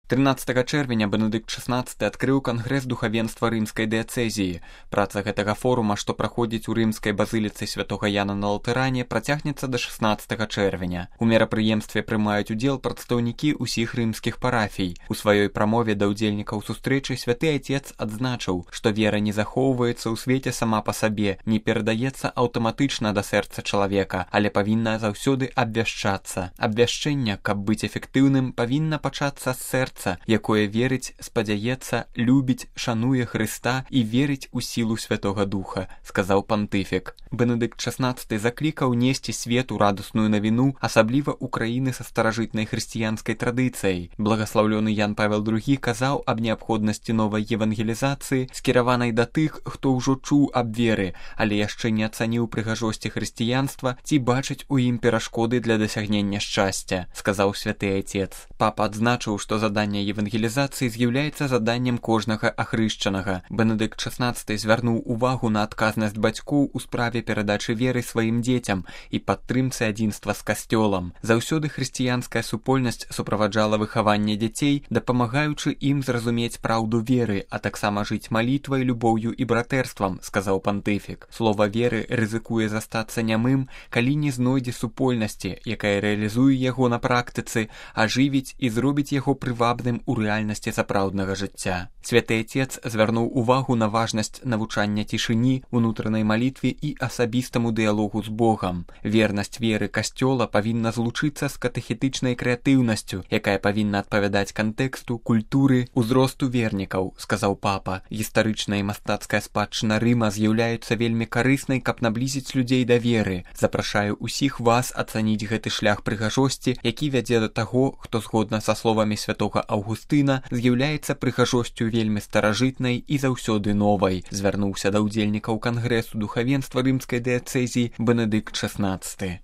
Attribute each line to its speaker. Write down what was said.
Speaker 1: 13 чэрвеня Бенедыкт XVI адкрыў кангрэс духавенства рымскай дыяцэзіі. Праца гэтага форума, што праходзіць у рымскай базыліцы святога Яна на Латэране, працягнецца да 16 чэрвеня. У мерапрыемстве прымаюць удзел прадстаўнікі ўсіх рымскіх парафій. У сваёй прамове да ўдзельнікаў сустрэчы святы Айцец адзначыў, што вера не захоўваецца ў свеце сама па сабе, не перадаецца аўтаматычна да сэрца чалавека, але павінна заўсёды абвяшчацца. Абвяшчэнне, каб быць эфектыўным, павінна пачацца з сэрца, якое верыць, спадзяецца, любіць, шануе Хрыста і верыць у сілу Святога Духа, сказаў пантыфік. Бенедыкт XVI заклікаў несці свету радасную навіну, асабліва ў краіны са старажытнай хрысціянскай традыцыяй. Благаслаўлёны Ян Павел II казаў аб неабходнасці новай евангелізацыі, скіраванай да тых, хто ўжо чуў аб веры, але яшчэ не ацаніў прыгажосці хрысціянства ці бачыць у ім перашкоды для дасягнення шчасця, сказаў святы Айцец. Папа адзначыў, што заданне евангелізацыі з'яўляецца заданнем кожнага ахрышчанага. Бенедыкт XVI звярнуў увагу на адказнасць бацькоў у справе перадачы веры сваім дзецям і падтрымцы адзінства з касцёлам. Заўсёды хрысціянская супольнасць суправаджала выхаванне дзяцей, дапамагаючы ім зразумець праўду веры, а таксама жыць малітвай, любоўю і братэрствам, сказаў пантыфік. Слова веры рызыкуе застацца нямым, калі не знойдзе супольнасці, якая рэалізуе яго на практыцы, ажывіць і зробіць яго прывабным у рэальнасці сапраўднага жыцця. Святы Айцец звярнуў увагу на важнасць навучання цішыні, унутранай малітве і асабістаму дыялогу з Богам. Вернасць веры касцёла павінна злучыцца з катэхетычнай крэатыўнасцю, якая павінна адпавядаць кантэксту, культуры, узросту вернікаў, сказаў папа. Гістарычная і мастацкая спадчына Рыма з'яўляюцца вельмі карыснай, каб наблізіць людзей да веры. Запрашаю ўсіх вас ацаніць гэты шлях прыгажосці, які вядзе да таго, хто згодна са словамі святога Аўгустына з'яўляецца прыгажосцю вельмі старажытнай і заўсёды новай, звярнуўся да ўдзельнікаў кангрэсу духавенства рымскай дыяцэзіі Бенедыкт XVI.